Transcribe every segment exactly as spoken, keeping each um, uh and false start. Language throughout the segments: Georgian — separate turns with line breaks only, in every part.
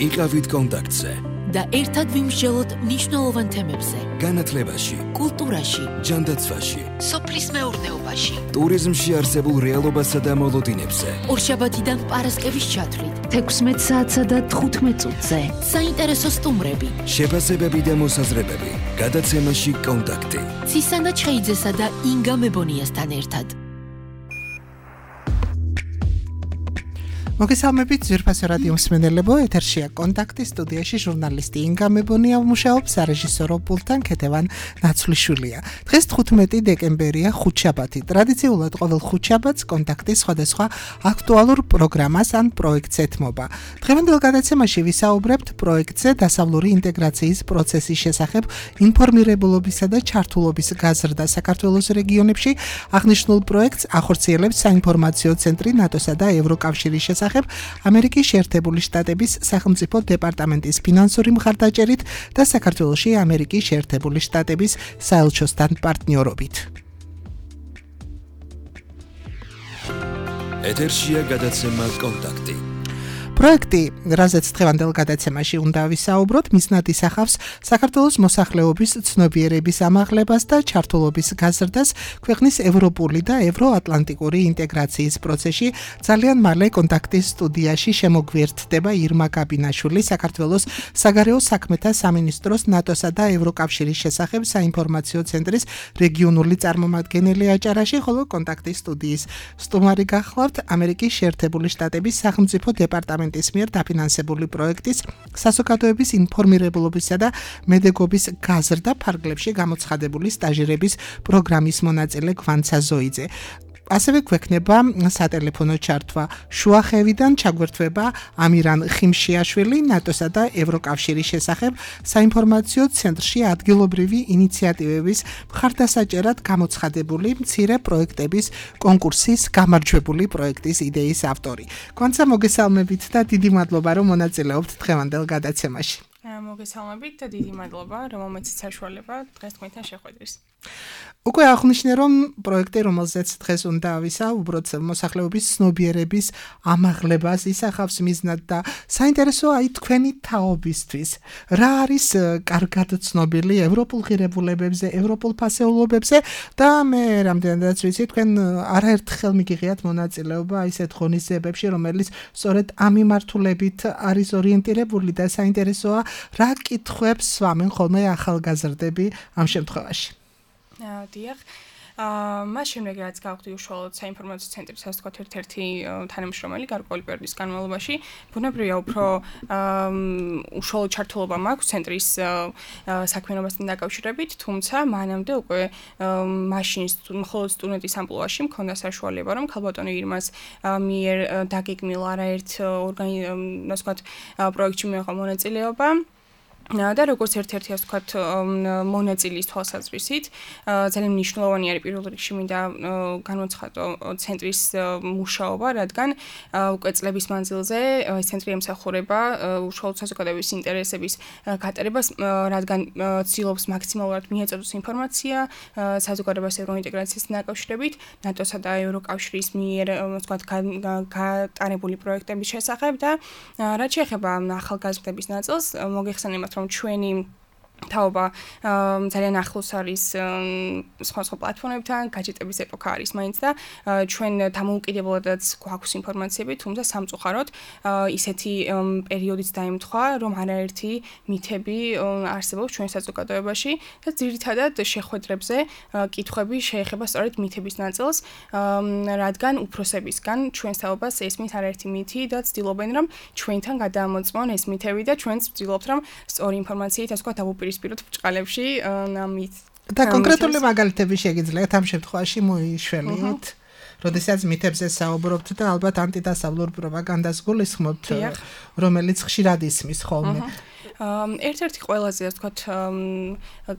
იყავით კონტაქტზე
და ერთად ვიმსჯელოთ მნიშვნელოვან თემებზე.
განათლებაში,
კულტურაში,
ჯანდაცვაში,
სოფლის მეურნეობაში,
ტურიზმში არსებულ რეალობასა და მოლოდინებზე.
ორშაბათიდან პარასკევის ჩათვლით, თექვსმეტ საათსა და თხუთმეტ წუთზე. საინტერესო სტუმრები,
შეფასებები და მოსაზრებები. გადაცემაში კონტაქტი.
ცისანა ჩხეიძესა და ინგა მებონიასთან ერთად.
მოგესალმებით ძვირფასო რადიო მსმენელებო, ეთერშია კონტაქტი, სტუდიაში ჟურნალისტი ინგა მებონია მუშაობს, სარეჟისორო პულტთან ქეთევან ნაცვლიშვილია. დღეს თხუთმეტი დეკემბერია, ხუთშაბათი. ტრადიციულად ყოველ ხუთშაბათს კონტაქტის სხვადასხვა აქტუალურ პროგრამას ან პროექტს ეთმობა. დღევანდელ გადაცემაში ვისაუბრებთ პროექტზე დასავლური ინტეგრაციის პროცესის შესახებ ინფორმირებულობისა და ჩართულობის გაზრდა საქართველოს რეგიონებში. აღნიშნულ პროექტს ახორციელებს საინფორმაციო ცენტრი ნატოსა და ევროკავშირის შესახებ ამერიკის შეერთებული შტატების სახელმწიფო დეპარტამენტის ფინანსური მხარდაჭერით და საქართველოში ამერიკის შეერთებული შტატების საელჩოსთან პარტნიორობით.
ეთერშია გადაცემა კონტაქტი.
პროექტი, რაზეც დღევანდელ გადაცემაში უნდა ვისაუბროთ, მიზნად ისახავს საქართველოს მოსახლეობის ცნობიერების ამაღლებას და ჩართულობის გაზრდას ქვეყნის ევროპული და ევროატლანტიკური ინტეგრაციის პროცესში. ძალიან მალე კონტაქტის სტუდიაში შემოგვიერთდება ირმა გაბინაშვილი, საქართველოს საგარეო საქმეთა სამინისტროს ნატოსა და ევროკავშირის შესახებ საინფორმაციო ცენტრის რეგიონული წარმომადგენელი აჭარაში, ხოლო კონტაქტის სტუდიის სტუმარი გახლავთ ამერიკის შეერთებული შტატების სახელმწიფო დეპარტამენტის მიერ დაფინანსებული პროექტის საზოგადოების ინფორმირებულობისა და მედეგობის გაზრდა ფარგლებში გამოცხადებული სტაჟირების პროგრამის მონაწილე გვანცა ზოიძე. ასევე გვექნება სატელეფონო ჩართვა შუახევიდან, ჩაგვერთვება ამირან ხიმშიაშვილი, ნატოსა და ევროკავშირის შესახებ საინფორმაციო ცენტრში ადგილობრივი ინიციატივების მხარდასაჭერად გამოცხადებული მცირე პროექტების კონკურსის გამარჯვებული პროექტის იდეის ავტორი. გვანცა მოგესალმებით და დიდი მადლობა, რომ მონაწილეობთ დღევანდელ გადაცემაში.
მოგესალმებით და დიდი მადლობა, რომ მომეცით საშუალება დღეს თქვენთან შეხვედრის.
უკვე აღნიშნე, რომ პროექტი, რომელზეც დღეს უნდა ვისაუბროთ, მოსახლეობის ცნობიერების ამაღლებას ისახავს მიზნად და საინტერესოა აი თქვენი თაობისთვის. რა არის კარგად ცნობილი ევროპულ ღირებულებებზე, ევროპულ ფასეულობებზე და მე რამდენადაც ვიცი, თქვენ არაერთხელ მიგიღიათ მონაწილეობა ისეთ ღონისძიებებში, რომელიც სწორედ ამ მიმართულებით არის ორიენტირებული და საინტერესოა, რა კითხვებს სვამენ ხოლმე ახალგაზრდები ამ შემთხვევაში.
დიახ. აა მას შემდეგ რაც გავხდი უშუალოდ საინფორმაციო ცენტრის ასე ვთქვათ ერთ-ერთი თანამშრომელი გარკვეული პერიოდის განმავლობაში, ბუნებრივია უფრო უშუალოდ ჩართულობა მაქვს ცენტრის საქმიანობასთან დაკავშირებით, თუმცა მანამდე უკვე მაშინ მხოლოდ სტუდენტის ამპლუაში მქონდა საშუალება, რომ ქალბატონი ირმას მიერ დაგეგმილ არაერთ ასე ვთქვათ პროექტში მიიღო მონაწილეობა. და როგორც ერთ-ერთი ასე ვთქვათ მონაწილის თვალსაზრისით ძალიან მნიშვნელოვანი არის პირველ რიგში მინდა განვაცხადო ცენტრის მუშაობა, რადგან უკვე წლების მანძილზე ეს ცენტრი ემსახურება უშუალოდ საზოგადოების ინტერესების გატარებას, რადგან ცდილობს მაქსიმალურად მიეწოდოს ინფორმაცია საზოგადოებას ევროინტეგრაციასთან დაკავშირებით, ნატოსა და ევროკავშირის მიერ ასე ვთქვათ გატარებული პროექტების შესახებ და რაც შეეხება ახალგაზრდების ნაწილს, მოგეხსენებათ რომ ჩვენი თაობა ძალიან ახლოს არის სხვა სხვა პლატფორმებთან, გაჯეტების ეპოქა არის მაინც და ჩვენ დამოუკიდებლადაც გვაქვს ინფორმაციები, თუმცა სამწუხაროდ ისეთი პერიოდიც დაემთხვა, რომ არაერთი მითები არსებობს ჩვენ საზოგადოებაში და ძირითადად შეხვედრებზე კითხვები შეეხება სწორედ მითების ნაწილს, რადგან უფროსებისგან ჩვენს თაობას ესმის არაერთი მითი და ცდილობენ რომ ჩვენთან გადაამოწმონ ეს მითები და ჩვენც ვცდილობთ რომ სწორი ინფორმაციით ასე ვთქვათ დავუპირისპიროთ ბჭყალებში ამით.
და კონკრეტული მაგალითები შეგიძლიათ ამ შემთხვევაში მოიშველიოთ, როდესაც მითებზე საუბრობთ და ალბათ ანტიდასავლურ პროპაგანდას გულისხმობთ, რომელიც ხშირად ისმის ხოლმე.
ერთ-ერთი ყველაზე ასე ვთქვათ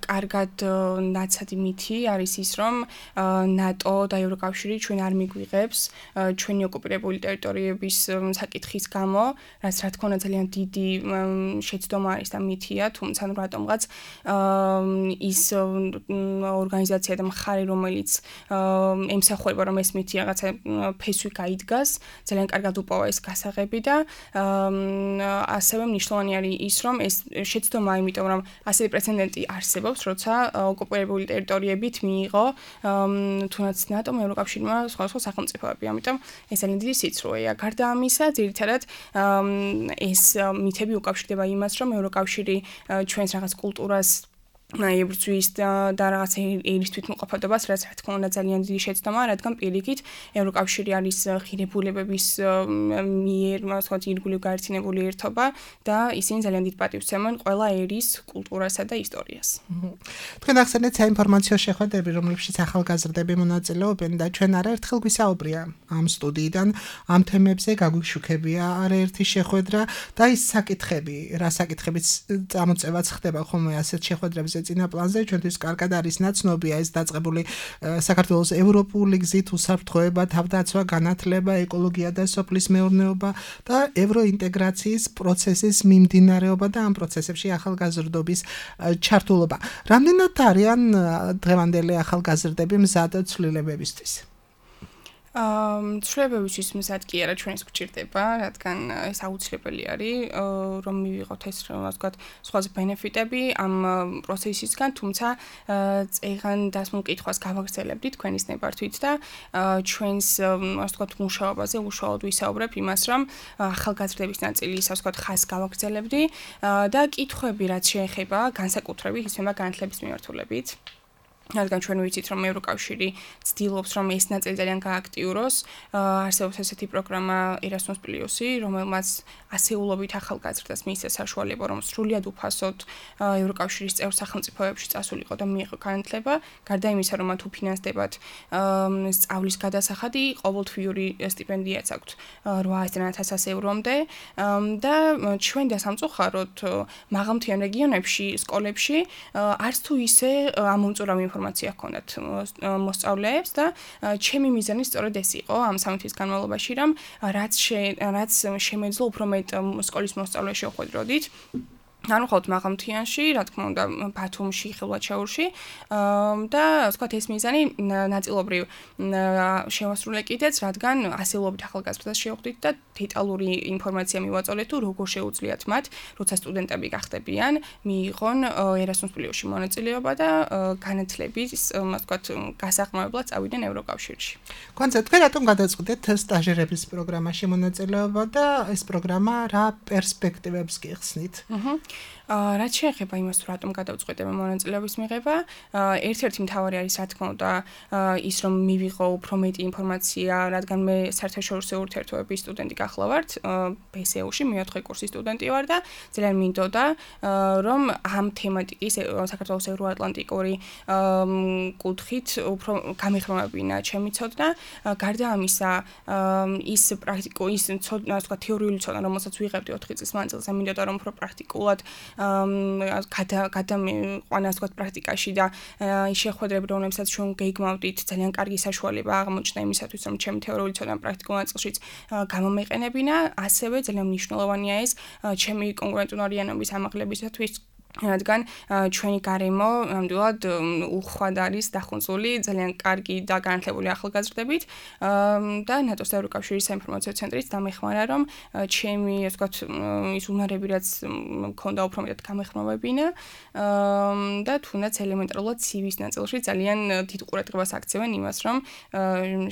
კარგად ნაცადი მითი არის ის, რომ ნატო და ევროკავშირი ჩვენ არ მიგვიღებს ჩვენი ოკუპირებული ტერიტორიების საკითხის გამო, რაც რა თქმა უნდა ძალიან დიდი შეცდომა არის და მითია, თუმცა ნუ რატომღაც ის ორგანიზაცია და მხარე, რომელიც ემსახურება, რომ ეს მითი რაღაცა ფესვი გაიდგას, ძალიან კარგად უპოვა ეს გასაღები და ასევე მნიშვნელოვანი არის ის, რომ ეს შეცდომა, იმიტომ რომ ასეთი პრეცედენტი არსებობს, როცა ოკუპირებული ტერიტორიებით მიიღო თუნდაც ნატომ, ევროკავშირმა სხვადასხვა სახელმწიფოები, ამიტომ ეს ძალიან დიდი სიცრუეა. გარდა ამისა, ძირითადად ეს მითები უკავშირდება იმას, რომ ევროკავშირი ჩვენს რაღაც კულტურას ებრძვის და რაღაცა ერის თვითმყოფადობას, რაც რა თქმა უნდა ძალიან დიდი შეცდომაა, რადგან პირიქით ევროკავშირი არის ღირებულებების მიერ, ასე ვთქვათ, ირგვლივ გაერთიანებული ერთობა და ისინი ძალიან დიდ პატივს ემენ ყველა ერის კულტურასა და ისტორიას.
თქვენ ახსენეთ საინფორმაციო შეხვედრები, რომლებშიც ახალგაზრდები მონაწილეობენ და ჩვენ არაერთხელ გვისაუბრია ამ სტუდიიდან ამ თემებზე, გაგვიშუქებია არაერთი შეხვედრა და ის საკითხები, რა საკითხებიც წამოწევაც ხდება ხოლმე ასეთ შეხვედრებზე წინა პლანზე, ჩვენთვის კარგად არის ნაცნობია ეს დაწყებული საქართველოს ევროპული გზით უსაფრთხოება, თავდაცვა, განათლება, ეკოლოგია და სოფლის მეურნეობა და ევროინტეგრაციის პროცესის მიმდინარეობა და ამ პროცესებში ახალგაზრდობის ჩართულობა. რამდენად არიან დღევანდელი ახალგაზრდები მზად ცვლილებებისთვის?
ცვლილებებისთვის მზად კი არა, ჩვენს გვჭირდება, რადგან ეს აუცილებელი არის, რომ მივიღოთ ეს, ასე ვთქვათ, სხვა ბენეფიტები ამ პროცესისგან, თუმცა წეღან დასმულ კითხვას გავაგრძელებდით თქვენის ნებართვით და ჩვენს, ასე ვთქვათ, მუშაობაზე უშუალოდ ვისაუბრებ იმას, რომ ახალგაზრდების ნაწილი, ასე ვთქვათ, ხაზს გავაგრძელებდი და კითხვები, რაც შეეხება განსაკუთრებით ისმება განათლების მიმართულებით. რადგან ჩვენ ვიცით, რომ ევროკავშირი ცდილობს, რომ ეს ნაწილი ძალიან გააქტიუროს, არსებობს ესეთი პროგრამა Erasmus Plus-ი, რომელმაც ასეულობით ახალგაზრდას მიიღეს საშუალება, რომ სრულიად უფასოდ ევროკავშირის წევრ სახელმწიფოებში წასულიყო და მიიღო განათლება, გარდა იმისა, რომ მათ უფინანსდებათ სწავლის გადასახადი, ყოველთვიური სტიპენდიაც აქვთ რვაასი ათას ევრომდე და ჩვენ და სამწუხაროდ მაღალმთიან რეგიონებში, სკოლებში არც თუ ისე ამომწურავი ინფორმაცია ჰქონდათ მოსწავლეებს და ჩემი მიზანი სწორედ ეს იყო ამ სამი თვის განმავლობაში, რომ რაც რაც შემეძლო უფრო მეტ სკოლის მოსწავლეს შევხვედროდით. ანუ ხოთ მაღალმთიანში, რა თქმა უნდა, ბათუმში, ხილვაჩაურში და ასე ვთქვათ, ეს მიზანი ნაწილობრივ შევასრულე კიდეც, რადგან ასეულობით ახალგაზრდას შევხვდით და დეტალური ინფორმაცია მივაწოლეთ თუ როგორ შეუძლიათ მათ, როცა სტუდენტები გახდებიან, მიიღონ Erasmus Plus-ში მონაწილეობა და განათლების, ასე ვთქვათ, გასახმარებლად წავიდნენ ევროკავშირში.
კონცე თქვენ რატომ გადაწყვეტეთ სტაჟერების პროგრამაში მონაწილეობა და ეს პროგრამა რა პერსპექტივებს გიხსნით?
აჰა რაც შეეხება იმას, თუ რატომ გადავწყვეტე მონაწილეობის მიღება, ერთ-ერთი მთავარი არის, რა თქმა უნდა, ის რომ მივიღო უფრო მეტი ინფორმაცია, რადგან მე საერთაშორისო ურთიერთობების სტუდენტი გახლავართ, ბ ეს ე უ-ში მეოთხე კურსის სტუდენტი ვარ და ძალიან მინდოდა, რომ ამ თემატიკის საქართველოს ევროატლანტიკური კუთხით უფრო გამეხმარებინა ჩემი ცოდნა. გარდა ამისა, ის პრაქტიკულ, ის ცოდნა, ასე ვთქვათ, თეორიული ცოდნა, რომელსაც ვიღებდი ოთხი წლის მანძილზე, მინდოდა რომ უფრო პრაქტიკულად გადა გადამიყვანა, ასე ვთქვათ, პრაქტიკაში და ის შეხვედრები, რომლებსაც ჩვენ გეიგმავდით, ძალიან კარგი საშუალება აღმოჩნდა იმისათვის, რომ ჩემი თეორიული ცოდნა პრაქტიკულ ნაწილშიც გამომეყენებინა, ასევე ძალიან მნიშვნელოვანია ეს ჩემი კონკურენტუნარიანობის ამაღლებისათვის, რადგან ჩვენი გარემო ნამდვილად უხვად არის დახუნწული ძალიან კარგი და განათლებული ახალგაზრდებით და ნატოს და ევროკავშირის საინფორმაციო ცენტრიც დამეხმარა, რომ ჩემი, ასე ვთქვათ, ის უნარები, რაც მქონდა უფრო მეტად გამეხმარებინა და თუნდაც ელემენტარულად ცი ვის ნაწილში ძალიან დიდ ყურადღებას აქცევენ იმას, რომ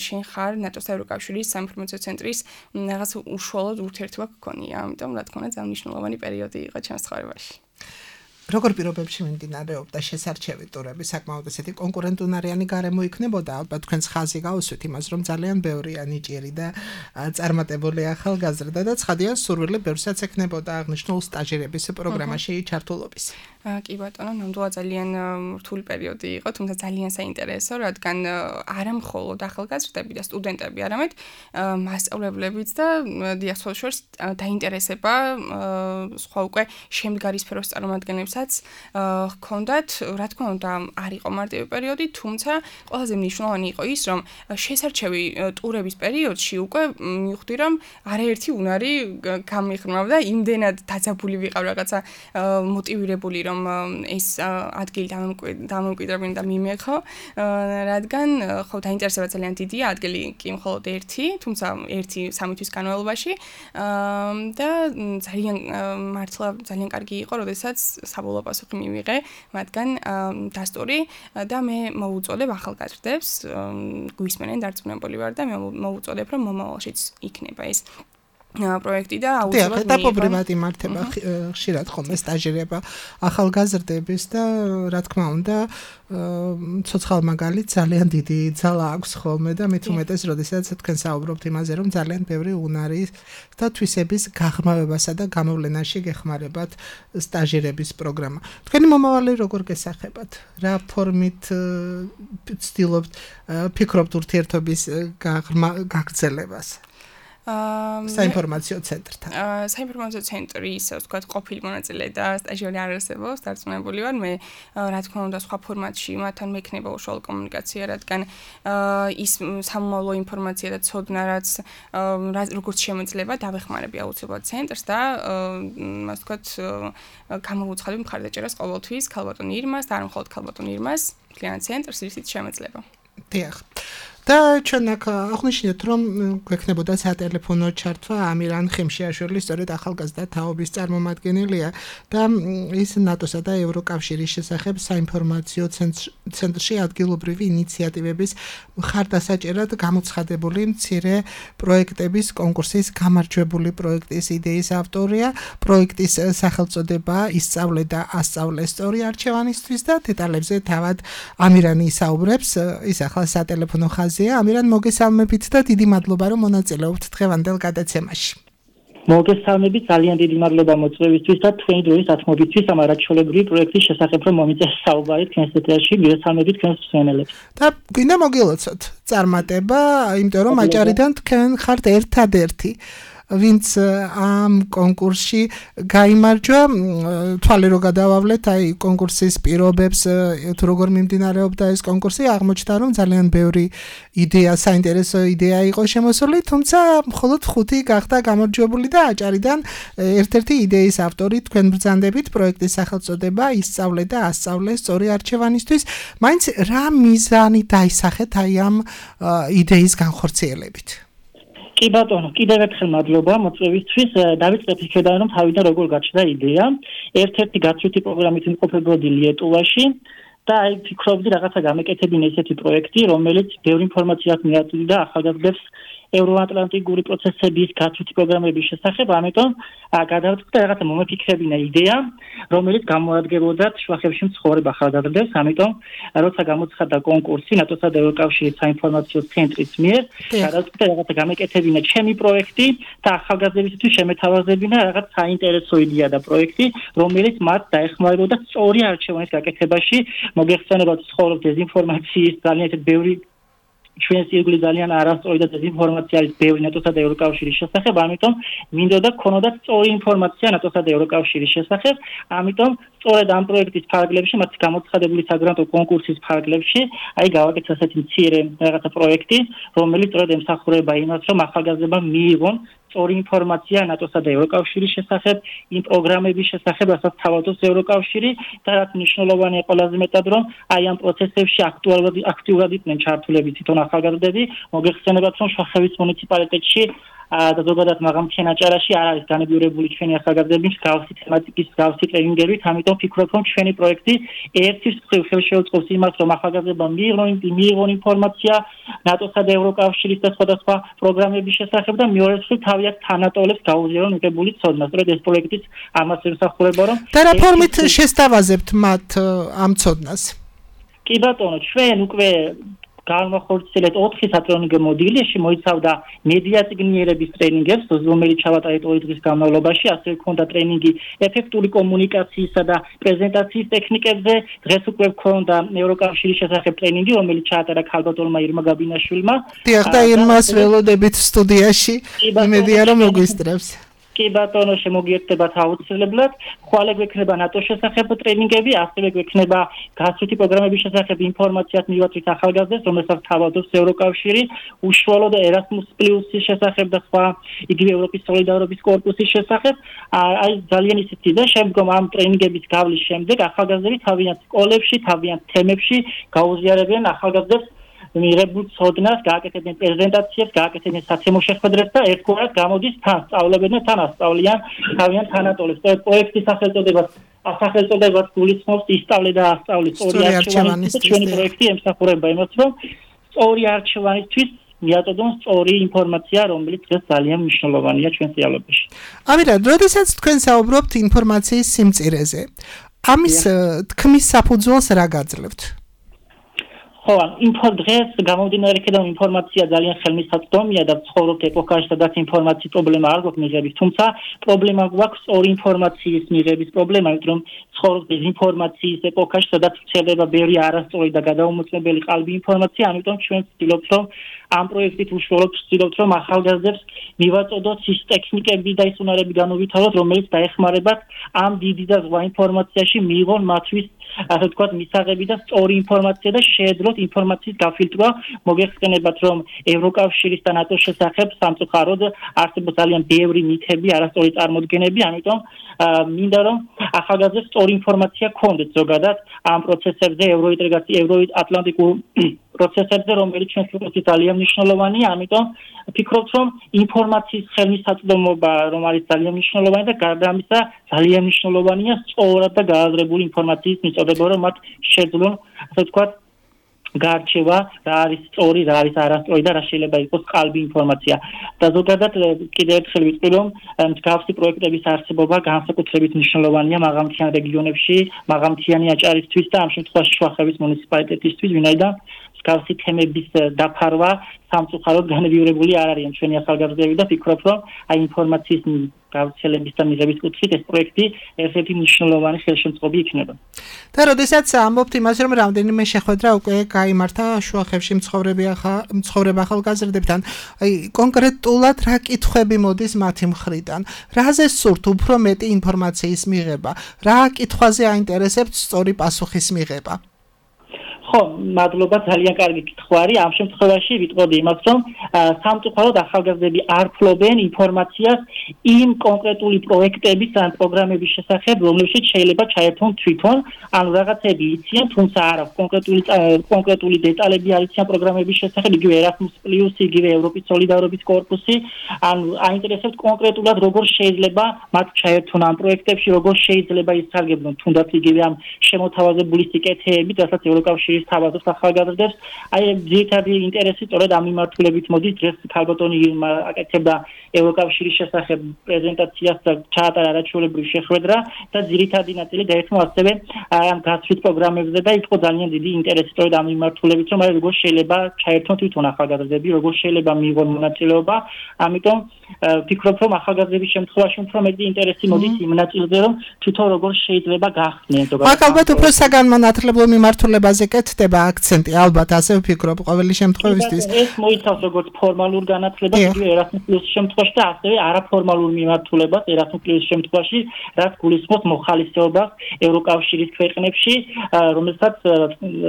შენ ხარ ნატოს და ევროკავშირის საინფორმაციო ცენტრის რაღაც უშუალოდ ურთიერთობა გქონია, ამიტომ რა თქმა უნდა ძალიან მნიშვნელოვანი პერიოდი იყო ჩემს ცხოვრებაში.
როგორ პირობებში მიმდინარეობდა შესარჩევი ტურები, საკმაოდ ესეთი კონკურენტუნარიანი გარემო იქნებოდა, ალბათ თქვენს ხაზი გავუსვით იმას, რომ ძალიან ბევრია ნიჭიერი და წარმატებული ახალგაზრდა და ცხადია სურვილი ბევრსაც ექნებოდა აღნიშნულ სტაჟირების პროგრამაში ჩართულობის.
კი ბატონო, ნამდვილად ძალიან რთული პერიოდი იყო, თუმცა ძალიან საინტერესო, რადგან არა მხოლოდ ახალგაზრდები და სტუდენტები, არამედ მასწავლებლებიც და დიახ, სოციალურ დაინტერესება სხვა უკვე შემდგარი სფეროს წარმომადგენლებსაც ჰქონდათ, რა თქმა უნდა, არ იყო მარტივი პერიოდი, თუმცა ყველაზე მნიშვნელოვანი იყო ის, რომ შესარჩევი ტურების პერიოდში უკვე მივხვდი, რომ არაერთი უნარი გამიხმრავდა, იმდენად დაძაბული ვიყავ რაღაცა მოტივირებული რომ ეს ადგილი დამომკვიდრებინა და მიმექო, რადგან ხო დაინტერესება ძალიან დიდია, ადგილი კი მხოლოდ ერთი, თუმცა ერთი სამი თვის განმავლობაში და ძალიან მართლა ძალიან კარგი იყო, როდესაც საბოლოო პასუხი მივიღე მათგან დასტური და მე მოუწოდებ ახალგაზრდებს, გვისმენენ დარწმუნებული ვარ და მე მოუწოდებ, რომ მომავალშიც იქნება ეს პროექტი და
აუცილებლად ეტაპობრივად იმართება ხშირად ხოლმე სტაჟირება ახალგაზრდების და რა თქმა უნდა ცოცხალ მაგალითს ძალიან დიდი ძალა აქვს ხოლმე და მით უმეტეს როდესაც თქვენ საუბრობთ იმაზე რომ ძალიან ბევრი უნარი და თვისების გაღრმავებასა და გამოვლენაში გეხმარებათ სტაჟირების პროგრამა. თქვენი მომავალი როგორ გესახებათ? რა ფორმით ცდილობთ ფიქრობთ ურთიერთობის გაგრძელებას? საინფორმაციო ცენტრთან.
საინფორმაციო ცენტრი ისე ვთქვათ ყოფილი მონაწილე და სტაჟიორი არ არსებობს, დარწმუნებული ვარ. მე რა თქმა უნდა სხვა ფორმატში მათთან მექნება უშუალო კომუნიკაცია, რადგან ის სამომავლო ინფორმაცია და ცოდნა რაც როგორც შემეძლება დავეხმარები აუცილებლად ცენტრს და ასე ვთქვათ გამოვუცხადებ მხარდაჭერას ყოველთვის ქალბატონ ირმას და არ მხოლოდ ქალბატონ ირმას, მთლიანად ცენტრს ისიც შემეძლება.
დიახ. და ჩვენ აქ აღნიშნეთ რომ გვექნებოდა სატელეფონო ჩართვა ამირან ხიმშიაშვილის სწორედ ახალგაზრდა თაობის წარმომადგენელია და ის ნატოსა და ევროკავშირის შესახებ საინფორმაციო ცენტრში ადგილობრივი ინიციატივების მხარდასაჭერად გამოცხადებული მცირე პროექტების კონკურსის გამარჯვებული პროექტის იდეის ავტორია. პროექტის სახელწოდება ისწავლე და ასწავლე სწორი არჩევანისთვის და დეტალებზე თავად ამირანი ისაუბრებს. ის ახლა სატელეფონო ამირან მოგესალმებით და დიდი მადლობა რომ მონაწილეობთ დღევანდელ გადაცემაში.
მოგესალმებით, ძალიან დიდი მადლობა მოწვევისთვის და თქვენი დროის ათმობისთვის ამ არაჩვეულებრივი პროექტის შესახებ რომ მომიწეს საუბარი თქვენს ეთერში, მოგესალმებით თქვენს მსმენელებს.
და გვინდა მოგილოცოთ წარმატება, იმიტომ რომ აჭარიდან თქვენ ხართ ერთადერთი ვინც ამ კონკურსში გაიმარჯვა. თვალე რო გადავავლეთ აი კონკურსის პირობებს თუ როგორ მიმდინარეობდა ეს კონკურსი, აღმოჩნდა რომ ძალიან ბევრი იდეა, საინტერესო იდეა იყო შემოსული, თუმცა მხოლოდ ხუთი გახდა გამარჯვებული და აჭარიდან ერთ-ერთი იდეის ავტორი თქვენ ბრძანდებით. პროექტის სახელწოდება ისწავლე და ასწავლე სწორი არჩევანისთვის. მაინც რა მიზანი დაისახეთ აი ამ იდეის განხორციელებით?
კი ბატონო, კიდევ ერთხელ მადლობა მოწვევისთვის. დავიწყებ იქედან რომ თავიდან როგორ გაჩნდა იდეა. ერთ-ერთი გაცვლითი პროგრამით იმყოფებოდი ლიეტუვაში და აი ფიქრობდი რაღაცა გამეკეთებინა ესეთი პროექტი, რომელიც ბევრი ინფორმაციას მიაწვდიდა ახალგაზრდებს ევროატლანტიკური პროცესების გაცვლითი პროგრამების შესახებ, ამიტომ გადავწყვიტე რაღაცა მომეფიქრებინა იდეა, რომელიც გამოადგებოდათ შუახევში მცხოვრებ ახალგაზრდებს, ამიტომ როცა გამოცხადდა კონკურსი ნატოსა და ევროკავშირის საინფორმაციო ცენტრის მიერ, გადავწყვიტე რაღაცა გამეკეთებინა ჩემი პროექტი და ახალგაზრდებისთვის შემეთავაზებინა რაღაც საინტერესო იდეა და პროექტი, რომელიც მათ დაეხმარებოდა სწორი არჩევანის გაკეთებაში. მოგეხსენებათ ცხოვრობ დეზინფორმაციის ძალიან ბევრი ჩვენს ირგვლივ ძალიან არასწორი და დეზინფორმაცია არის ბევრი ნატოსა და ევროკავშირის შესახებ, ამიტომ მინდოდა გქონოდათ სწორი ინფორმაცია ნატოსა და ევროკავშირის შესახებ, ამიტომ სწორედ ამ პროექტის ფარგლებში, მათ გამოცხადებული საგრანტო კონკურსის ფარგლებში, აი გავაკეთე ასეთი მცირე რაღაცა პროექტი, რომელიც სწორედ ემსახურება იმას, რომ ახალგაზრდებმა მიიღონ სწორი ინფორმაცია ნატოსა და ევროკავშირის შესახებ, იმ პროგრამების შესახებ, რასაც თავადობს ევროკავშირი და რაც მნიშვნელოვანია ყველაზე მეტად, რომ აი ამ პროცესებში აქტუალურად აქტიურად იყვნენ ჩართულები თვითონ ახალგაზრდები. მოგეხსენებათ, რომ შუახევის მუნიციპალიტეტში და ზოგადად მაღალმთიან აჭარაში არ არის განებიურებული ჩვენი ახალგაზრდები მსგავსი თემატიკის მსგავსი ტრენინგებით, ამიტომ ვფიქრობ, რომ ჩვენი პროექტი ერთის მხრივ ხელშეუწყობს იმას, რომ ახალგაზრდებმა მიიღონ ინფორმაცია ნატოსა და ევროკავშირის და სხვადასხვა პროგრამების შესახებ და მეორე მხრივ თავი აქ თანატოლებს გაუზიარონ მიღებული ცოდნა. სწორედ ეს პროექტიც ამას ემსახურება, რომ
და რა ფორმით შესთავაზებთ მათ ამ ცოდნას?
კი ბატონო, ჩვენ უკვე განმახორციელეთ ოთხი სატრენინგო მოდილიში მოიცავდა მედია წიგნიერების ტრენინგებს, რომელიც ჩავატარეთ ორი დღის განმავლობაში, ასევე ჰქონდა ტრენინგი ეფექტური კომუნიკაციისა და პრეზენტაციის ტექნიკებზე, დღეს უკვე ჰქონდა ევროკავშირის შესახებ ტრენინგი, რომელიც ჩაატარა ქალბატონმა ირმა გაბინაშვილმა.
დიახ, და ირმას ველოდებით სტუდიაში, იმედია რომ მოგვისწრებს.
კი ბატონო, შემოგიერთებათ აუცილებლად. ხვალე გვექნება ნატოს შესახებ ტრენინგები, ასევე გვექნება გასწრეთი პროგრამების შესახებ ინფორმაციას მივაწვით ახალგაზრდებს, რომელსაც თავადობს ევროკავშირი, უშუალოდ ერასმუს პლუსის შესახებ და სხვა იგივე ევროპის სოლიდარობის კორპუსის შესახებ. აი ძალიან ისეთი და შემდგომ ამ ტრენინგების გავლის შემდეგ ახალგაზრდები თავიანთ სკოლებში, თავიანთ თემებში გაუზიარებენ ახალგაზრდებს მიღებულ ცოდნას, გააკეთებენ პრეზენტაციებს, გააკეთებენ საცემო შეხვედრებს და ერთგვარად გამოდის თან სწავლებენ და თან ასწავლიან თავიანთ თანატოლებს. პროექტის სახელწოდებას სახელწოდებას გულისხმობს ისწავლე და ასწავლე სწორი არჩევანისთვის. ჩვენი პროექტი ემსახურება იმას, რომ სწორი არჩევანისთვის მიაწოდონ სწორი ინფორმაცია, რომელიც დღეს ძალიან მნიშვნელოვანია ჩვენ რეალობაში.
ამირა, როდესაც თქვენ საუბრობთ ინფორმაციის სიმწირეზე, ამის თქმის საფუძველს რა გაძლევთ?
ხო, ინფო დღეს გამომდინარე იქიდან ინფორმაცია ძალიან ხელმისაწვდომია და ცხოვრობთ ეპოქაში, სადაც ინფორმაციის პრობლემა არ გვაქვს მიღების, თუმცა პრობლემა გვაქვს სწორი ინფორმაციის მიღების პრობლემა, იმიტომ რომ ცხოვრობთ დეзინფორმაციის ეპოქაში, სადაც ვრცელდება ბევრი არასწორი და გადაუმოწმებელი ყალბი ინფორმაცია, ამიტომ ჩვენ ვცდილობთ, რომ ამ პროექტით უშუალოდ ვცდილობთ, რომ ახალგაზრდებს მივაწოდოთ ის ტექნიკები და ის უნარები განუვითაროთ, რომელიც დაეხმარებათ ამ დიდი და ზღვა ინფორმაციაში მიიღონ მათთვის ასე ვთქვათ, მისაღები და სწორი ინფორმაცია და შეეძლოთ ინფორმაციის გაფილტრვა. მოგეხსენებათ, რომ ევროკავშირის და ნატოს შესახებ სამწუხაროდ არსებობს ძალიან ბევრი მითები, არასწორი წარმოდგენები, ამიტომ მინდა რომ ახალგაზრდებს სწორი ინფორმაცია გქონდეთ ზოგადად ამ პროცესებზე, ევროინტეგრაციის, ევროატლანტიკურ პროცესებზე, რომელიც ჩვენს ქვეყნებში ძალიან მნიშვნელოვანია, ამიტომ ვფიქრობთ, რომ ინფორმაციის ხელმისაწვდომობა, რომ არის ძალიან მნიშვნელოვანი და გარდა ამისა, ძალიან მნიშვნელოვანია სწორად და გააზრებული ინფორმაციის მიწოდება, რომ მათ შეძლონ, ასე ვთქვათ, გარჩევა, რა არის სწორი, რა არის არასწორი და რა შეიძლება იყოს ყალბი ინფორმაცია. და ზოგადად კიდევ ერთხელ ვიტყვი, რომ მსგავსი პროექტების არსებობა განსაკუთრებით მნიშვნელოვანია მაღალმთიან რეგიონებში, მაღალმთიანი აჭარისთვის და ამ შემთხვევაში შუახევის მუნიციპალიტეტისთვის, ვინაიდან მსგავსი თემების დაფარვა სამწუხაროდ განვიურებული არ არიან ჩვენი ახალგაზრდები და ვფიქრობ, რომ აი ინფორმაციის გავრცელების და მიღების კუთხით ეს პროექტი ერთ-ერთი მნიშვნელოვანი ხელშემწყობი იქნება.
და როდესაც ამბობთ იმას, რომ რამდენიმე შეხვედრა უკვე გაიმართა შუახევში მცხოვრებ ახალგაზრდებთან, აი კონკრეტულად რა კითხვები მოდის მათი მხრიდან? რაზე სურთ უფრო მეტი ინფორმაციის მიღება? რა კითხვაზე აინტერესებთ სწორი პასუხის მიღება?
ხო, მადლობა, ძალიან კარგი კითხვა არის. ამ შემთხვევაში ვიტყოდი იმას, რომ სამწუხაროდ ახალგაზრდები არ ფლობენ ინფორმაციას იმ კონკრეტული პროექტების ან პროგრამების შესახებ, რომლებშიც შეიძლება ჩაერთონ თვითონ, ანუ რაღაცები იციან, თუმცა არა კონკრეტული კონკრეტული დეტალები არ იციან პროგრამების შესახებ, იგივე ერასმუს პლუსი, იგივე ევროპის სოლიდარობის კორპუსი, ანუ აინტერესებთ კონკრეტულად როგორ შეიძლება მათ ჩაერთონ ამ პროექტებში, როგორ შეიძლება ისარგებლონ თუნდაც იგივე ამ შემოთავაზებული სიკეთეებით, რასაც ევროკავშირი თავადობს ახალგაზრდებს. აი ძირითადი ინტერესი სწორედ ამ მიმართულებით მოდის. დღეს ქალბატონი ირმა აკეთებდა ევროკავშირის შესახებ პრეზენტაციას და ჩაატარა არაჩვეულებრივი შეხვედრა და ძირითადი ნაწილი გაიხმო ასევე ამ გასწრით პროგრამებზე და იყო ძალიან დიდი ინტერესი სწორედ ამ მიმართულებით, რომ აი როგორ შეიძლება ჩაერთონ თვითონ ახალგაზრდები, როგორ შეიძლება მიიღონ მონაწილეობა. ამიტომ ვფიქრობ, რომ ახალგაზრდების შემთხვევაში უფრო მეტი ინტერესი მოდის იმ ნაწილზე, რომ თვითონ როგორ შეიძლება გახსნიან ზოგადად.
ალბათ უფრო საგანმანათლებლო მიმართულებაზე კეთდება აქცენტი, ალბათ ასე ვფიქრობ ყოველი შემთხვევისთვის.
ეს მოიცავს როგორც ფორმალურ განათლებას, იგივე ერასმუს პლუსის შემთხვევაში და ასევე არაფორმალურ მიმართულებას, ერასმუს პლუსის შემთხვევაში, რაც გულისხმობს მოხალისეობას ევროკავშირის ქვეყნებში, რომელსაც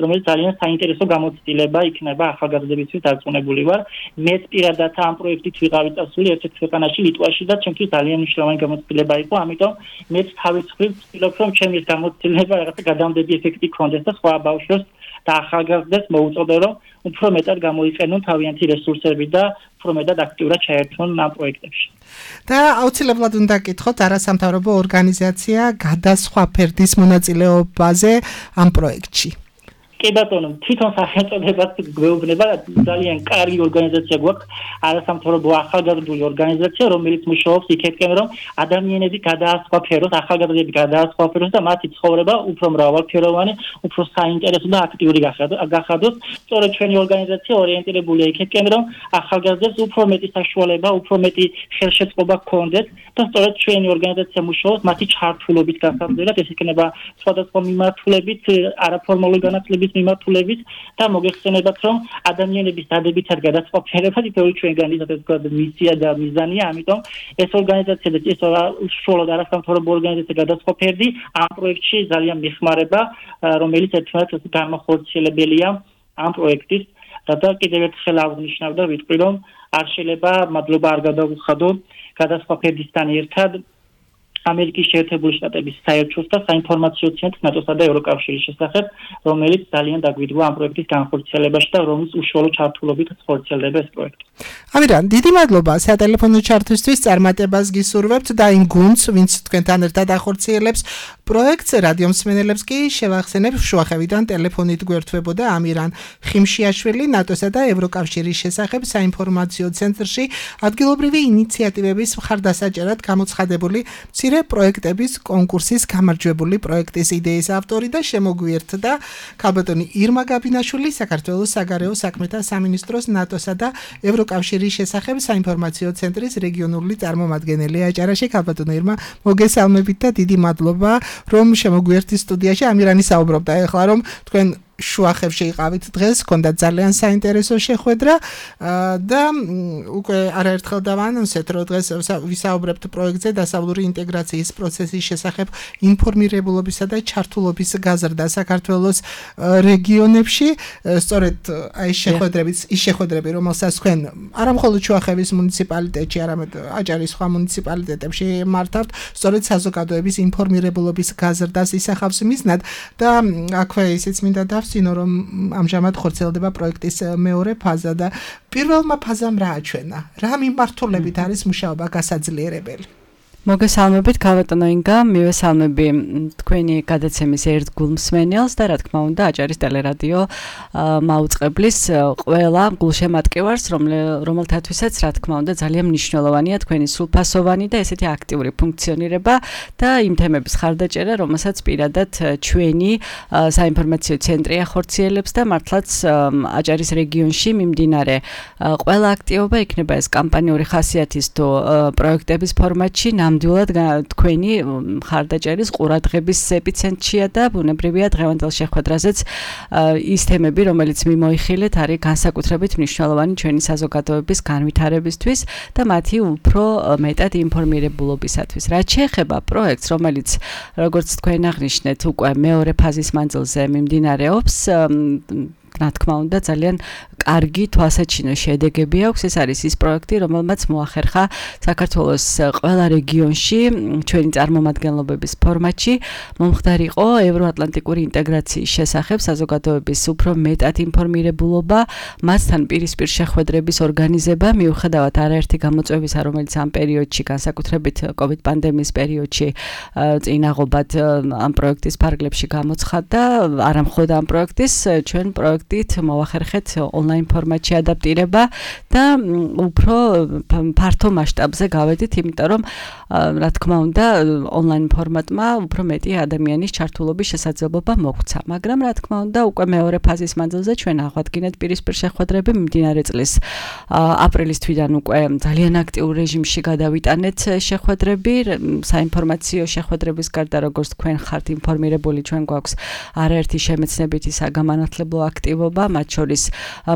რომელიც ძალიან საინტერესო გამოცდილება იქნება ახალგაზრდებისთვის დარწმუნებული ვარ. მეც პირადად ამ პროექტით ვიყავი წასული ერთ-ერთ ქვეყანაში, ლიტვაში და ჩემთვის ძალიან მნიშვნელოვანი გამოცდილება იყო, ამიტომ მეც თავის მხრივ ვცდილობ, რომ ჩემი ეს გამოცდილება რაღაცა გადამდები ეფექტი ჰქონდეს და სხვა ბავშვებს და ახალგაზრდებს მოუწოდე, რომ უფრო მეტად გამოიყენონ თავიანთი რესურსები და უფრო მეტად აქტიურად ჩაერთონ ამ პროექტებში.
და აუცილებლად უნდა გკითხოთ არასამთავრობო ორგანიზაცია გადასხვა ფერდის მონაწილეობაზე ამ პროექტში.
კი ბატონო, თვითონ სახელწოდებაც გვეუბნება, ძალიან კარგი ორგანიზაცია გვაქვს, არასამთავრობო ახალგაზრდული ორგანიზაცია, რომელიც მუშაობს იქეთკენ, რომ ადამიანები გადაასხვაფეროს, ახალგაზრდები გადაასხვაფეროს და მათი ცხოვრება უფრო მრავალფეროვანი, უფრო საინტერესო და აქტიური გახადოს. სწორედ ჩვენი ორგანიზაცია ორიენტირებულია იქეთკენ, რომ ახალგაზრდებს უფრო მეტი საშუალება, უფრო მეტი ხელშეწყობა ჰქონდეს და სწორედ ჩვენი ორგანიზაცია მუშაობს მათი ჩართულობით გასაგრძელებლად, ეს იქნება სხვადასხვა მიმართულებით, არაფორმალური განათლების მიმართულებით და მოგეხსენებათ, რომ ადამიანების დადებითად გადასხვაფერება თითოეული ჩვენგანის ასე ვთქვათ მისია და მიზანია, ამიტომ ეს ორგანიზაცია და ეს უშუალოდ არასამთავრობო ორგანიზაცია გადასხვაფერდი ამ პროექტში ძალიან მიხმარება, რომელიც ერთმანეთს განმახორციელებელია ამ პროექტის და კიდევ ერთხელ აღნიშნავ და ვიტყვი, რომ არ შეიძლება მადლობა არ გადავუხადო გადასხვაფერდისთან ერთად ამერიკის შეერთებული შტატების საელჩოს და საინფორმაციო ცენტრს ნატოსა და ევროკავშირის შესახებ, რომელიც ძალიან დაგვიდგა ამ პროექტის განხორციელებაში და რომლის უშუალო ჩართულობით ხორციელდება ეს პროექტი.
ამირან, დიდი მადლობა სატელეფონო ჩართვისთვის, წარმატებას გისურვებთ და იმ გუნდს, ვინც თქვენთან ერთად ახორციელებს პროექტს, რადიო მსმენელებს კი შევახსენებ, შუახევიდან ტელეფონით გვერდთვებოდა ამირან ხიმშიაშვილი ნატოსა და ევროკავშირის შესახებ საინფორმაციო ცენტრში ადგილობრივი ინიციატივების მხარდასაჭერად გამოცხადებული პროექტების კონკურსის გამარჯვებული პროექტის იდეის ავტორი და შემოგვიერთდა ქალბატონი ირმა გაბინაშვილი, საქართველოს საგარეო საქმეთა სამინისტროს ნატოსა და ევროკავშირის შესახებ საინფორმაციო ცენტრის რეგიონული წარმომადგენელი. აჭარაში ქალბატონი ირმა, მოგესალმებით და დიდი მადლობა, რომ შემოგვიერთდი სტუდიაში. ამირანი საუბრობდა ეხლა, რომ თქვენ შუახევში იყავით დღეს, ჰქონდათ ძალიან საინტერესო შეხვედრა და უკვე არაერთხელ დავანონსეთ, რომ დღეს ვისაუბრებთ პროექტზე დასავლური ინტეგრაციის პროცესის შესახებ ინფორმირებულობისა და ჩართულობის გაზრდა საქართველოს რეგიონებში. სწორედ აი შეხვედრებიც, ის შეხვედრები, რომელსაც თქვენ არა მხოლოდ შუახევის მუნიციპალიტეტში, არამედ აჭარის სხვა მუნიციპალიტეტებში მართავთ, სწორედ საზოგადოების ინფორმირებულობის გაზრდას ისახავს მიზნად და აქვე ისიც მინდა დავსინო, რომ ამჟამად ხორციელდება პროექტის მეორე ფაზა და პირველმა ფაზამ რა აჩვენა? რა მიმართულებით არის მუშაობა გასაძლიერებელი?
მოგესალმებით, ქალბატონო ინგა, მივესალმები თქვენი გადაცემის ერთგულ მსმენელს და რა თქმა უნდა აჭარის ტელერადიო მაუწყებლის ყველა გულშემატკივარს, რომელთათვისაც რა თქმა უნდა ძალიან მნიშვნელოვანია თქვენი სრულფასოვანი და ესეთი აქტიური ფუნქციონირება და იმ თემების ხარდაჭერა, რომელსაც პირადად ჩვენი საინფორმაციო ცენტრი ახორციელებს და მართლაც აჭარის რეგიონში მიმდინარე ყველა აქტივობა იქნება ეს კამპანიური ხასიათის თუ პროექტების ფორმატში ნამდვილად თქვენი მხარდაჭერის ყურადღების ეპიცენტრია და ბუნებრივია დღევანდელ შეხვედრაზეც ის თემები, რომელიც მიმოიხილეთ, არის განსაკუთრებით მნიშვნელოვანი ჩვენი საზოგადოების განვითარებისთვის და მათი უფრო მეტად ინფორმირებულობისათვის. რაც შეეხება პროექტს, რომელიც როგორც თქვენ აღნიშნეთ, უკვე მეორე ფაზის მანძილზე მიმდინარეობს, რა თქმა უნდა ძალიან კარგი თვალსაჩინო შედეგები აქვს. ეს არის ის პროექტი, რომელმაც მოახერხა საქართველოს ყველა რეგიონში ჩვენი წარმომადგენლობების ფორმატში მომხდარიყო ევროატლანტიკური ინტეგრაციის შესახებ საზოგადოების უფრო მეტად ინფორმირებულობა, მასთან პირისპირ შეხვედრების ორგანიზება, მიუხედავად არაერთი გამოწვევისა, რომელიც ამ პერიოდში, განსაკუთრებით კოვიდ პანდემიის პერიოდში წინაღობად ამ პროექტის ფარგლებში გამოცხადდა, არა მხოლოდ ამ პროექტის, ჩვენ პროექტით მოვახერხეთ ონლაინ ფორმატში ადაპტირება და უფრო ფართო მასშტაბზე გავედით, იმიტომ რომ რა თქმა უნდა ონლაინ ფორმატმა უფრო მეტი ადამიანის ჩართულობის შესაძლებლობა მოგვცა, მაგრამ რა თქმა უნდა უკვე მეორე ფაზის მანძილზე ჩვენ აღვადგინეთ პირისპირ შეხვედრები მიმდინარე წლის აპრილის თვიდან უკვე ძალიან აქტიურ რეჟიმში გადავიტანეთ შეხვედრები, საინფორმაციო შეხვედრების გარდა როგორც თქვენ ხართ ინფორმირებული, ჩვენ გვაქვს არაერთი შემეცნებითი საგამანათლებლო აქტივობა, მათ შორის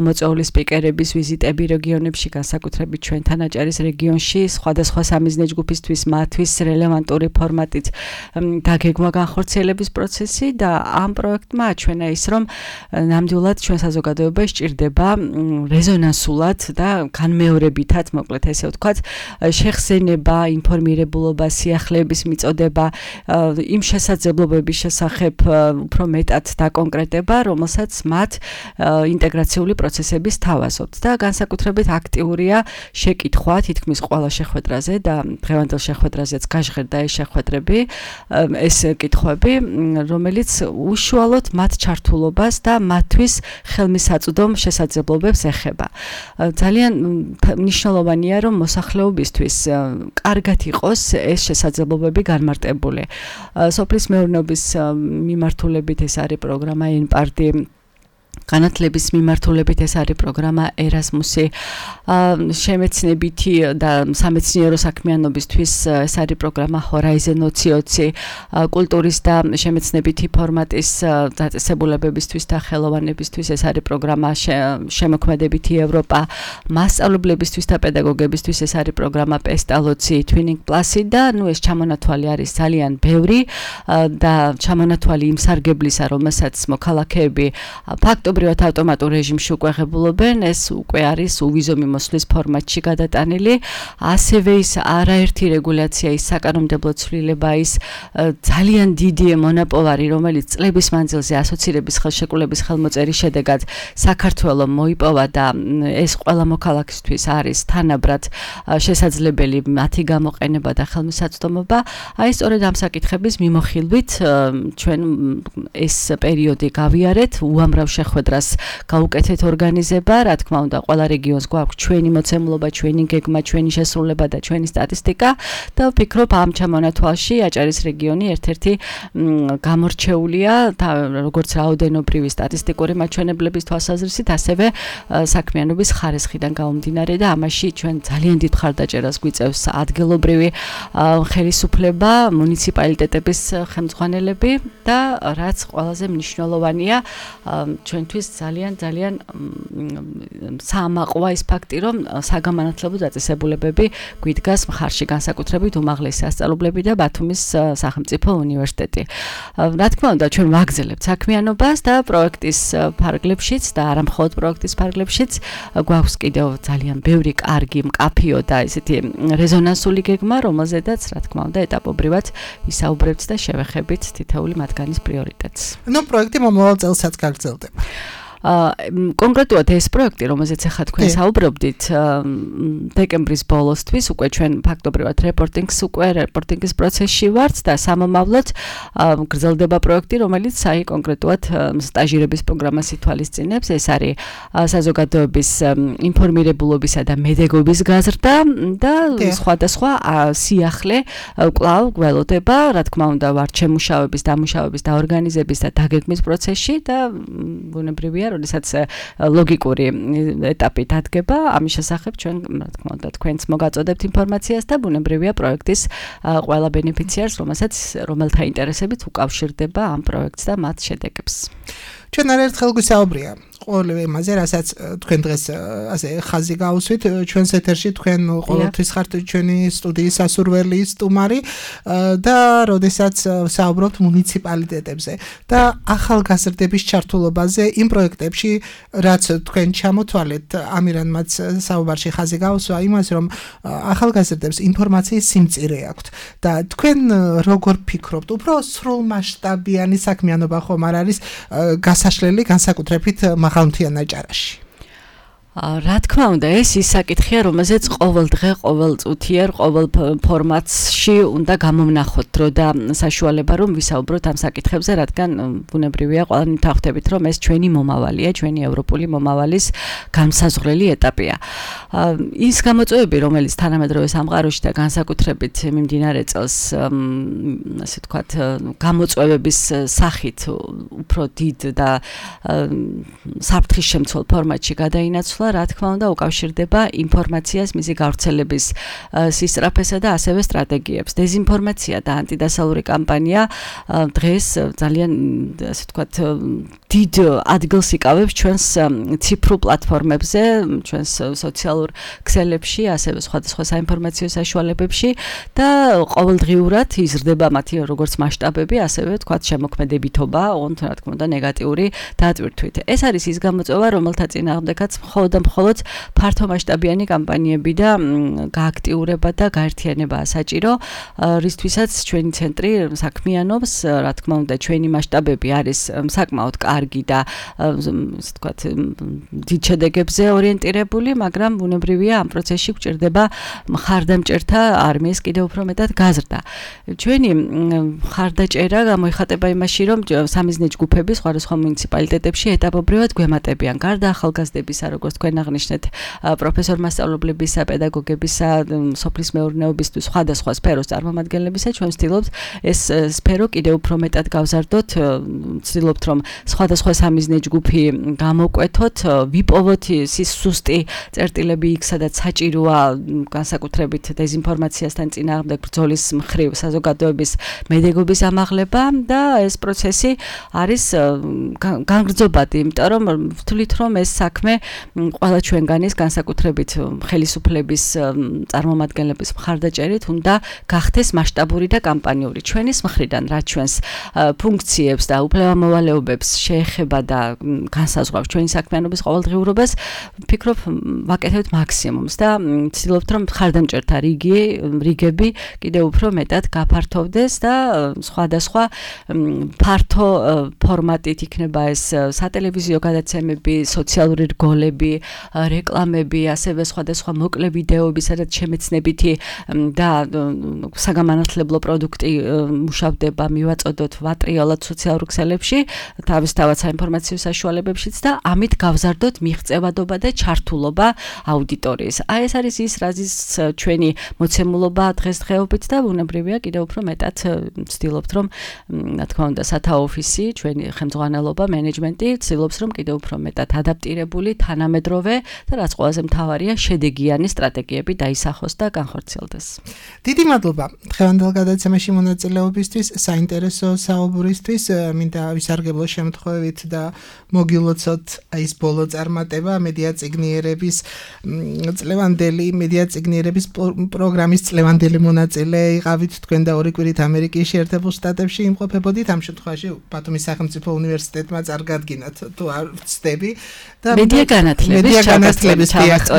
მოწვეული სპიკერების ვიზიტები რეგიონებში, განსაკუთრებით ჩვენთან აჭარის რეგიონში, სხვადასხვა სამიზნე ჯგუფისთვის მათთვის რელევანტური ფორმატით დაგეგმვა განხორციელების პროცესი და ამ პროექტმა აჩვენა ის, რომ ნამდვილად ჩვენ საზოგადოება სჭირდება რეზონანსულად და განმეორებითად, მოკლედ ესე ვთქვათ, შეხსენება, ინფორმირებულობა, სიახლეების მიწოდება, იმ შესაძლებლობების შესახებ უფრო მეტად დაკონკრეტება, რომელსაც მათ ინტეგრაციული პროცესების თავაზობთ და განსაკუთრებით აქტიურია შეკითხვა თითქმის ყველა შეხვედრაზე და დღევანდელ შეხვედრაზეც გაჟღერდა ეს შეხვედრები, ეს კითხვები, რომელიც უშუალოდ მათ ჩართულობას და მათთვის ხელმისაწვდომ შესაძლებლობებს ეხება. ძალიან მნიშვნელოვანია, რომ მოსახლეობისთვის კარგად იყოს ეს შესაძლებლობები განმარტებული. სოფლის მეურნეობის მიმართულებით ეს არის პროგრამა ENPARDI, განათლების მიმართულებით ეს არის პროგრამა Erasmus-ი, შემეცნებითი და სამეცნიერო საქმიანობისთვის ეს არის პროგრამა Horizon ოცი ოცი, კულტურის და შემეცნებითი ფორმატის დაწესებულებებისთვის და ხელოვანებისთვის ეს არის პროგრამა შემოქმედებითი ევროპა, მასწავლებლებისთვის და პედაგოგებისთვის ეს არის პროგრამა Pestalozzi, Twinning Plus-ი და ნუ ეს ჩამონათვალი არის ძალიან ბევრი და ჩამონათვალი იმ სარგებლისა, რომელსაც მოქალაქეები ფაქტობრივად ავტომატურ რეჟიმში უკვე ღებულობენ, ეს უკვე არის უვიზო მიმოსვლის ფორმატში გადატანილი, ასევე ის არაერთი რეგულაცია, ის საკანონმდებლო ცვლილება, ის ძალიან დიდი მონაპოვარი, რომელიც წლების მანძილზე ასოცირების ხელშეკრულების ხელმოწერის შედეგად საქართველოს მოიპოვა და ეს ყველა მოქალაქისთვის არის თანაბრად შესაძლებელი მათი გამოყენება და ხელმისაწვდომობა. აი სწორედ ამ საკითხების მიმოხილვით ჩვენ ეს პერიოდი გავიარეთ, უამრავ შეხვედრას გაუკეთეთ ორგანიზება, რა თქმა უნდა, ყველა რეგიონს გვაქვს ჩვენი მოცემულობა, ჩვენი გეგმა, ჩვენი შესრულება და ჩვენი სტატისტიკა და ვფიქრობ ამ ჩამონათვალში აჭარის რეგიონი ერთ-ერთი გამორჩეულია და როგორც რაოდენობრივი სტატისტიკური მაჩვენებლების თვალსაზრისით, ასევე საქმიანობის ხარისხიდან გამომდინარე და ამაში ჩვენ ძალიან დიდ მხარდაჭერას გვიწევს ადგილობრივი ხელისუფლება, მუნიციპალიტეტების ხელმძღვანელები და რაც ყველაზე მნიშვნელოვანია, ჩვენთვის ძალიან ძალიან საამაყოა ის ფაქტი, რომ საგამანათლებლო დაწესებულებები გვიდგას მხარში, განსაკუთრებით უმაღლესი სასწავლებლები და ბათუმის სახელმწიფო უნივერსიტეტი. რა თქმა უნდა, ჩვენ ვაგრძელებთ საქმიანობას და პროექტის ფარგლებშიც და არა მხოლოდ პროექტის ფარგლებშიც გვაქვს კიდევ ძალიან ბევრი კარგი, მკაფიო და ესეთი რეზონანსული გეგმა, რომელზედაც რა თქმა უნდა ეტაპობრივად ვისაუბრებთ და შევეხებით თითოეული მათგანის პრიორიტეტს.
ნუ პროექტი მომავალ წელსაც გაგრძელდება.
კონკრეტულად ეს პროექტი, რომელზეც ახლა თქვენ საუბრობდით, დეკემბრის ბოლოსთვის უკვე ჩვენ ფაქტობრივად რეპორტინგს უკვე რეპორტინგის პროცესში ვართ და სამომავლოდ გრძელდება პროექტი, რომელიც აი კონკრეტულად სტაჟირების პროგრამას ითვალისწინებს. ეს არის საზოგადოების ინფორმირებულობისა და მედეგობის გაზრდა და სხვადასხვა სიახლე კვლავ გველოდება, რა თქმა უნდა, ვართ შემუშავების, დამუშავების და ორგანიზების და დაგეგმის პროცესში და ბუნებრივია როდესაც ლოგიკური ეტაპი დადგება, ამის შესახებ ჩვენ, რა თქმა უნდა, თქვენც მოგაწოდებთ ინფორმაციას და ბუნებრივია პროექტის ყველა ბენეფიციარს, რომელსაც რომელთა ინტერესებით უკავშირდება ამ პროექტს და მათ შედეგებს.
ჩვენ არაერთხელ გვისაუბრია ყოველივე იმაზე, რასაც თქვენ დღეს ასე ხაზი გაუსვით, ჩვენს ეთერში თქვენ ყოველთვის ხართ ჩვენი სტუდიის სასურველი სტუმარი და როდესაც საუბრობთ მუნიციპალიტეტებზე და ახალგაზრდების ჩართულობაზე იმ პროექტებში, რაც თქვენ ჩამოთვალეთ, ამირანმაც საუბარში ხაზი გაუსვა იმას, რომ ახალგაზრდებს ინფორმაციის სიმწირე აქვთ და თქვენ როგორ ფიქრობთ, უფრო სრულმასშტაბიანი საქმიანობა ხომ არ არის გასაშლელი განსაკუთრებით მაღალმთიან აჭარაში?
რა თქმა უნდა, ეს ის საკითხია, რომელზეც ყოველ დღე, ყოველ წუთიერ, ყოველ ფორმატში უნდა გამოვნახოთ დრო და საშუალება, რომ ვისაუბროთ ამ საკითხებზე, რადგან ბუნებრივია, ყველანი თავხდებით, რომ ეს ჩვენი მომავალია, ჩვენი ევროპული მომავალის განსაზღვრელი ეტაპია. ის გამოწვევები, რომელიც თანამედროვე სამყაროში და განსაკუთრებით მიმდინარე წელს, ასე ვთქვათ, გამოწვევების სახით უფრო დიდ და საფრთხის შემცველ ფორმატში გადაინაცვლა, რა თქმა უნდა, უკავშირდება ინფორმაციას, მისი გავრცელების სისწრაფესა და ასევე სტრატეგიებს. დეზინფორმაცია და ანტიდასალური კამპანია დღეს ძალიან, ასე ვთქვათ, დიდ ადგილს იკავებს ჩვენს ციფრულ პლატფორმებზე, ჩვენს სოციალურ ქსელებში, ასევე სხვადასხვა საინფორმაციო საშუალებებში და ყოველდღიურად იზრდება მათი როგორც მასშტაბები, ასევე ვთქვათ, შემოქმედებითობა, ოღონდ რა თქმა უნდა, ნეგატიური დატვირთვით. ეს არის ის გამოწვევა, რომელთა წინააღმდეგაც მხოლოდ და მხოლოდ ფართომასშტაბიანი კამპანიები და გააქტიურება და გაერთიანებაა საჭირო, რისთვისაც ჩვენი ცენტრი საქმიანობს, რა თქმა უნდა, ჩვენი მასშტაბები არის საკმაოდ კარგი და ასე ვთქვათ, დიდ შედეგებზე ორიენტირებული, მაგრამ ბუნებრივია ამ პროცესში გვჭირდება მხარდამჭერთა არმიის კიდევ უფრო მეტად გაზრდა. ჩვენი მხარდაჭერა გამოიხატება იმაში, რომ სამიზნე ჯგუფები სხვადასხვა მუნიციპალიტეტებში ეტაპობრივად გვემატებიან. გარდა ახალგაზრდებისა, როგორც თქვენ აღნიშნეთ, პროფესორ მასწავლებლებისა, პედაგოგებისა, სოფლის მეურნეობისთვის სხვადასხვა სფეროს წარმომადგენლებისა, ჩვენ ვცდილობთ ეს სფერო კიდევ უფრო მეტად გავზარდოთ, ვცდილობთ რომ სხვადასხვა სამიზნე ჯგუფი გამოკვეთოთ, ვიპოვოთ ის სუსტი წერტილები იქ, სადაც საჭიროა განსაკუთრებით დეზინფორმაციასთან წინააღმდეგ ბრძოლის მხრივ საზოგადოების მედეგობის ამაღლება და ეს პროცესი არის განგრძობადი, იმიტომ რომ ვთვლით რომ ეს საქმე ყველა ჩვენგანის განსაკუთრებით ხელისუფლების წარმომადგენლების მხარდაჭერით უნდა გახდეს მასშტაბური და კამპანიური. ჩვენის მხრიდან რაც ჩვენს ფუნქციებს და უფლებამოვალეობებს შეეხება და განსაზღვრავს ჩვენი საქმიანობის ყოველდღიურობას, ვფიქრობ ვაკეთებთ მაქსიმუმს და ვცდილობთ რომ მხარდამჭერთა რიგი რიგები კიდევ უფრო მეტად გაფართოვდეს და სხვადასხვა ფართო ფორმატით იქნება ეს სატელევიზიო გადაცემები, სოციალური რგოლები, რეკლამები, ასევე სხვადასხვა მოკლე ვიდეოები, სადაც შემეცნებითი და საგამანათლებლო პროდუქტი მუშავდება, მივაწოდოთ ვატრიალად სოციალურ ქსელებში, თავისთავად საინფორმაციო საშუალებებშიც და ამით გავზარდოთ მიღწევადობა და ჩართულობა აუდიტორიის. აი ეს არის ის, რაზეც ჩვენი მოცემულობა დღესდღეობით და ბუნებრივია კიდევ უფრო მეტად ვცდილობთ რომ რა თქმა უნდა სათაო ოფისი, ჩვენი ხელმძღვანელობა, მენეჯმენტი ვცდილობს რომ კიდევ უფრო მეტად ადაპტირებული, თანამედროვე და რაც ყველაზე მთავარია, შედეგიანი სტრატეგიები დაისახოს და განხორციელდეს.
დიდი მადლობა დღევანდელ გადაცემაში მონაწილეობისთვის, საინტერესო საუბრისთვის, მინდა ვისარგებლო შემთხვევით და მოგილოცოთ ის ბოლო წარმატება მედია წიგნიერების წლევანდელი მედია წიგნიერების პროგრამის წლევანდელი მონაწილე იყავით თქვენ და ორი კვირით ამერიკის შეერთებულ შტატებში იმყოფებოდით, ამ შემთხვევაში ბათუმის სახელმწიფო უნივერსიტეტმა წარგადგინათ თუ არ ვცდები და
მედია განათლების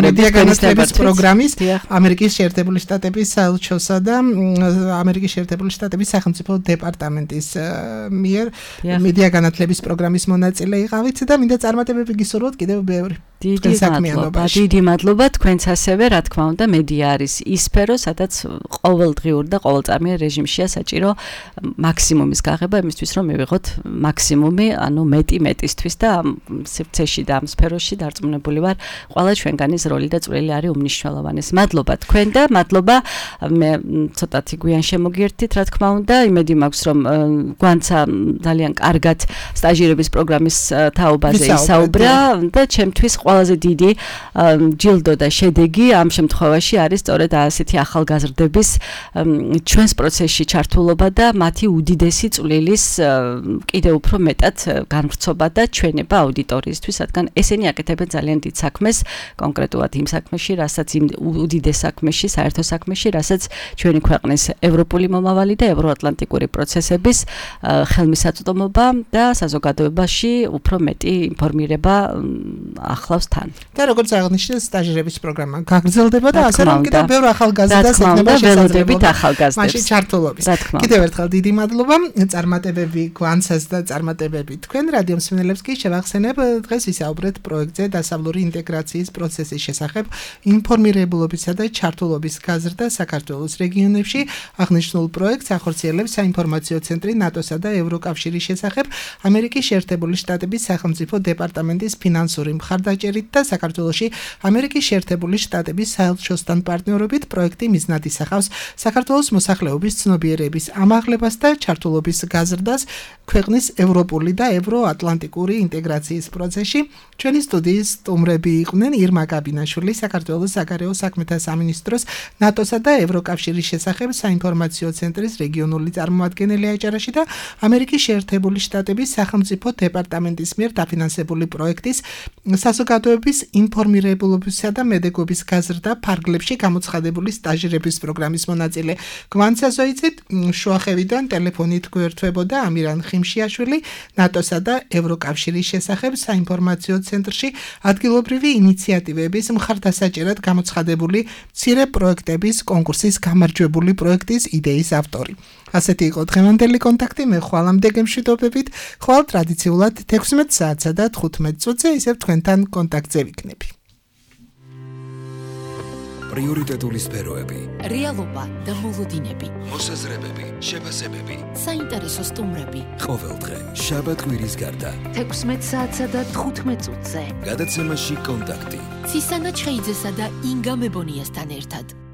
მედია განათლების პროგრამის ამერიკის შეერთებული შტატების საელჩოსა და ამერიკის შეერთებული შტატების სახელმწიფო დეპარტამენტის მიერ მედია განათლების პროგრამის მონაწილე იყავით და მინდა წარმატებები გისურვოთ კიდევ ბევრი.
დიდი მადლობა, დიდი მადლობა თქვენც ასევე, რა თქმა უნდა, მედია არის ის სფერო, სადაც ყოველდღიურ და ყოველწამიან რეჟიმშია საჭირო მაქსიმუმის გაღება იმისთვის, რომ მივიღოთ მაქსიმუმი, ანუ მეტი მეტისთვის და ამ სივრცეში და ამ სფეროში დარწმუნებული ვარ, ყველა ჩვენგანის როლი და წვლილი არის უმნიშვნელოვანესი. მადლობა თქვენ და მადლობა მე ცოტათი გვიან შემოგიერთით, რა თქმა უნდა, იმედი მაქვს, რომ გვანცა ძალიან კარგად სტაჟირების პროგრამის თაობაზე ისაუბრა და ჩემთვის ყველაზე დიდი ჯილდო და შედეგი ამ შემთხვევაში არის სწორედ ასეთი ახალგაზრდების ჩვენს პროცესში ჩართულობა და მათი უდიდესი წვლილის კიდევ უფრო მეტად განვრცობა და ჩვენება აუდიტორიისთვის, რადგან ესენი აკეთებენ ძალიან დიდ საქმეს, კონკრეტულად იმ საქმეში, რასაც იმ უდიდეს საქმეში, საერთო საქმეში, რასაც ჩვენი ქვეყნის ევროპული მომავალი და ევროატლანტიკური პროცესების ხელმისაწვდომობა და საზოგადოებაში უფრო მეტი ინფორმირება ახლა თან.
და როგორც აღნიშნეთ, სტაჟირების პროგრამა გაგრძელდება და ასე რომ კიდევ ბევრ ახალგაზრდას ექნება
შესაძლებლობა მაშინ
ჩართულობის. კიდევ ერთხელ დიდი მადლობა, წარმატებები გვანცას და წარმატებები თქვენ რადიო მსმენელებს კი შევახსენებ, დღეს ვისაუბრეთ პროექტზე დასავლური ინტეგრაციის პროცესის შესახებ, ინფორმირებულობისა და ჩართულობის გაზრდა საქართველოს რეგიონებში. აღნიშნულ პროექტს ახორციელებს საინფორმაციო ცენტრი ნატოსა და ევროკავშირის შესახებ ამერიკის შეერთებული შტატების სახელმწიფო დეპარტამენტის ფინანსური მხარდაჭერით და საქართველოში ამერიკის შეერთებული შტატების საელჩოსთან პარტნიორობით პროექტი მიზნად ისახავს საქართველოს მოსახლეობის ცნობიერების ამაღლებას და ჩართულობის გაზრდას ქვეყნის ევროპული და ევროატლანტიკური ინტეგრაციის პროცესში. ჩვენი სტუდიის სტუმრები იყვნენ ირმა გაბინაშვილი, საქართველოს საგარეო საქმეთა სამინისტროს ნატოსა და ევროკავშირის შესახებ საინფორმაციო ცენტრის რეგიონული წარმომადგენელი აჭარაში და ამერიკის შეერთებული შტატების სახელმწიფო დეპარტამენტის მიერ დაფინანსებული პროექტის საზოგადოებრივი საზოგადოების ინფორმირებულობისა და მედეგობის გაზრდა ფარგლებში გამოცხადებული სტაჟირების პროგრამის მონაწილე გვანცა ზოიცით შუახევიდან ტელეფონით გვერდებოდა ამირან ხიმშიაშვილი ნატოსა და ევროკავშირის შესახებ საინფორმაციო ცენტრში ადგილობრივი ინიციატივების მხარდასაჭერად გამოცხადებული მცირე პროექტების კონკურსის გამარჯვებული პროექტის იდეის ავტორი. ასეთი იყო დღევანდელი კონტაქტი. მე ხვალამდე გემშვიდობებით, ხვალ ტრადიციულად თექვსმეტ საათსა და თხუთმეტ წუთზე ისევ თქვენთან კონტაქტზე ვიქნები.
პრიორიტეტული სფეროები,
რეალობა და მოლოდინები,
მოსაზრებები, შეფასებები,
საინტერესო სტუმრები.
ყოველდღე, შაბათ-კვირის გარდა.
თექვსმეტ საათსა და თხუთმეტ წუთზე.
გადაცემაში კონტაქტი.
ცისანა ჩხეიძესა და ინგა მებონიასთან ერთად.